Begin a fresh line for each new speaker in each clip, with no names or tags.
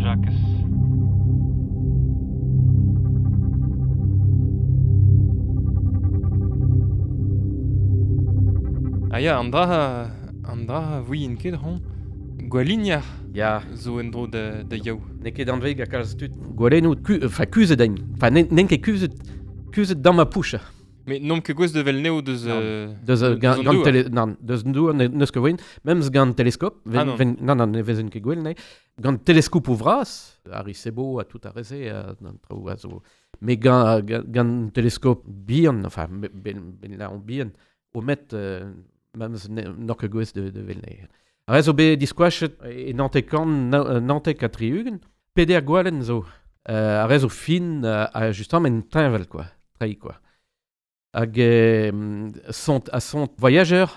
Jakez. Ah ya, an dra, an dra vouien ket ron. Gwaliniar
Ya,
zo en-dro da, da yaou.
n'eo ket anveg a kalz tud. Gwalennoù, ku, enfin, kuzhet ein. Enfin, n'en ket kuzhet, kuzhet dam a poucha.
Mais n'omp ket gwez de vel neo deus...
Non. Deus,
deus
gant,
an
gant
douar.
tele, nan, deus an douar n'eus ket voen, memes gant teleskop,
Ah, non.
ven, nan, nan, ne vezen ket gwell, ne. Gant teleskop o vras, Arecibo a tout a reze, an traoù a zo. Mais gant, gant, gant teleskop bihan, enfin, ben, ben la on bihan, o met, memes n'oc'h ket gwez de vel ne. Ar zo bet diskoachet e nantek kan, nantek ha tri-ugent, peder gwalen zo. Ar zo fin, a justement en teñvel, quoi, trei, quoi. Hag sont, a sont voyageur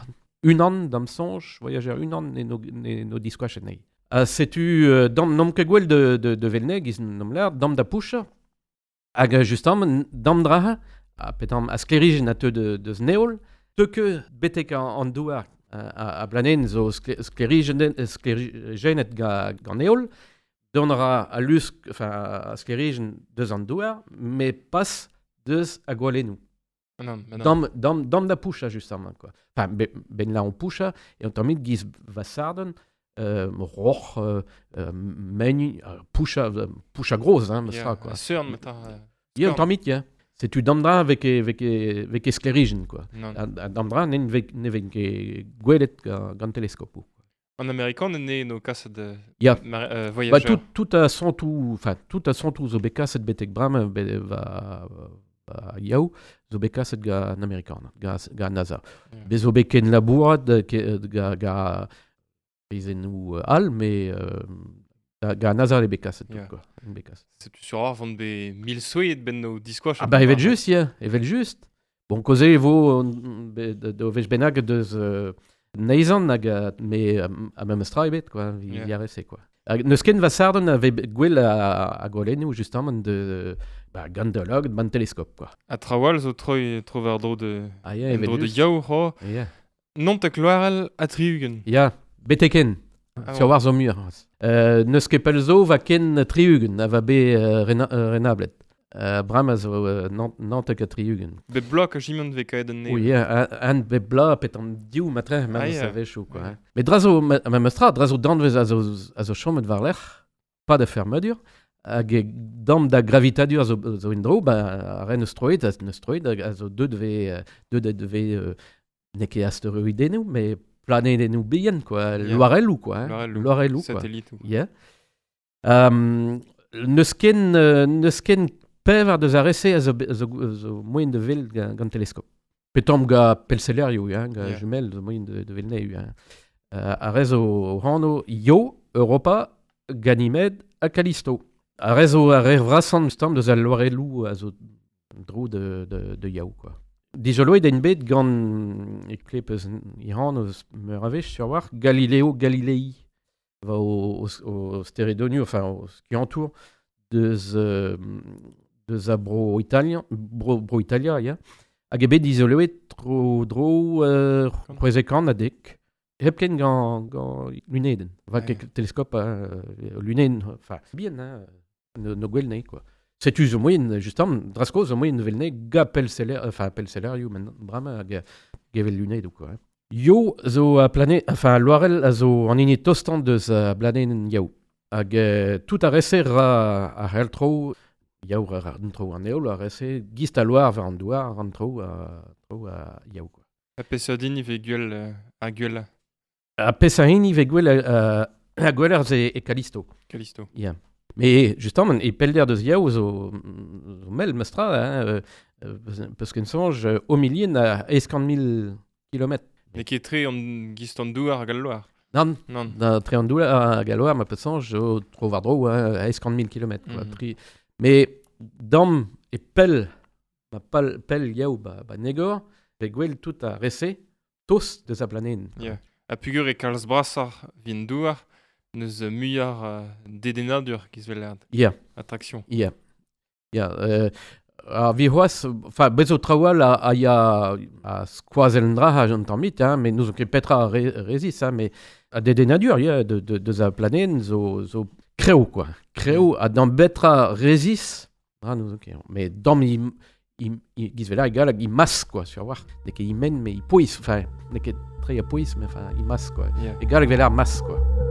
unan dam soñj, voyageur unan ne no, ne no diskoachet nei. Ha setu dam n'om ket gwell de velne, giz n'om lâr, dam da poucha. Hag justement, dam draha, a petam a sklerijenn a teu de neol, teu ket betek an douar a blanen zo sklerijennet gant neol, don ra a lusk, enfin, a sklerijenn deus an douar, mais pas deus a gwalennoù.
Ah non, bah non.
Dam, dam, dam da poucha, justement, quoi. Enfin, ben là, on poucha, et on termine giz vasarden, roch, meni, poucha, poucha groz, hein,
Ya,
ça, quoi.
a seurn, matin.
Ya, on
skorn.
termine, ya. C'est tu damdra avec, avec, avec esklerijen, quoi.
Non.
A damdra, ne ne ven ket gwelet gant teleskopou.
En américain, ne no kaset de
Ya.
mar,
Bah,
voyageur.
tout, tout a son tout, enfin, tout a son tout zo bet kaset betek bram, be, va, va yaou, zo bet kaset ga an amerikan, ga NASA.
Yeah.
Bez zo bet ken labourat, ke, ga, ga pezennoù all, mais ga NASA le bet kaset, tout,
Yeah.
quoi. Bet kaset.
Setu sur ar vont be mil souet ben no diskoach.
Ah bah, evel just, ya, evel just. Bon, koze e vo be, de vech bennak deus neizan hag me a memes tra ebet, quoi, vi
Yeah.
yeah. arese, quoi. Hag neus ken vasarden a ve gwell a gwalennoù, justement, de, bah, gant de log, ban teleskop, quoi.
A trawal zo troi tro war dro de
Ah, ya,
en
evel
dro de
just.
yaou ho.
Ya,
Non te kloarel a tri-ugent.
ya, beteken,
Ah
sur
bon.
war zo mur. Neus ket pell zo va ken tri-ugent, a va be renablet. Bram a zo nantek a tri-ugent.
Be blok a jimant ve kaet an ne.
Oui, an be bla pet an div matre,
Ah,
ma
ya.
ah, savechou, quoi.
Ouais.
Hein. Mais drazo, ma ma mestra, drazo danvez a zo chomet war lec'h, pas da fermedur, hag e dam da gravitadur a zo indro, ba, a ren eus troet, a neus troet, a zo deut ve, deut ve, n'eo ket asteroidennoù, mais planedennoù bihan, quoi,
Yeah.
loarelloù, quoi. Hein.
Loarelloù.
Loarelloù, quoi.
Satellite.
Yeah. Neus ken, neus ken pevar deus ar rese a zo, a zo, a zo moyen de vel gant teleskop. Petomp ga pelselerioù, hein, ga
Yeah.
jumel zo moyen de vel neu. Hein. Ar rez o hano Io, Europa, Ganymed ha Callisto. Ar rez o ar re vrasan stam deus al loarelloù a zo dro de yaou, quoi. Dijoloet en bet gant e klep eus i hano eus meur a wech sur war Galileo Galilei va o steredonioù, enfin o skiantour deus, deus a bro Italien, bro Italia, ya. Hag e bet izoloet tro dro c'hwezekan a dek. Hepken gant luneden. Va
Ah,
ket teleskop luneden, enfin, bien, hein, no gwell nei, quoi. Setu zo moyen, justement, drasko zo moyen vel nei ga pelseler, enfin, pelselerioù, men brama hag gevel lunedou, quoi. Hein. Yo zo a plane, enfin, loarel a zo an hini tostant deus a blanen yaou. Hag tout a rese ra a c'hell tro, yaou ra an tro an eol, a rese gist a loar war an douar an tro a, tro a yaou, quoi.
A peseurt hini ve gwell a gwell
A peseurt hini ve gwell a gwell ar ze e Callisto.
Callisto.
Yeah. Mais justement, e pelder deus yaou zo mel mestra, hein, peus ken soñj, o milien a eskant mil kilometr.
Ne ket tre an gist an douar hag al loar.
Nan,
Nan.
da tre an douar hag al loar, ma peus soñj, zo tro war dro, hein, eskant mil kilometr. Quoi,
Mhm.
tri... Mais dam e pell, ma pal, pell yaou ba negor, ve gwell tout a rese, tos deus a planen.
Yeah. A pugur e kalz brasar vin douar, neus muiar dedennadur giz vel erd.
Yeah.
Attraction.
Yeah. Yeah. Ar vi c'hoazh, enfin, bez zo traoù a ya a skoazell an dra an tammit, hein, mais n'ouzon ket petra a rezis, hein, mais a dedennadur, yeah, de, deus a planen zo, zo Krev, quoi. Krev, ha d'an betra rezis, ah, nous, ok. Mais dam i, i, i, giz vela egal hag i mas, quoi, sur war. N'eo ket i men, mais i pouez, enfin, n'eo ket tre a pouez, mais enfin, i mas, quoi.
Yeah.
Egal hag vela ar mas, quoi.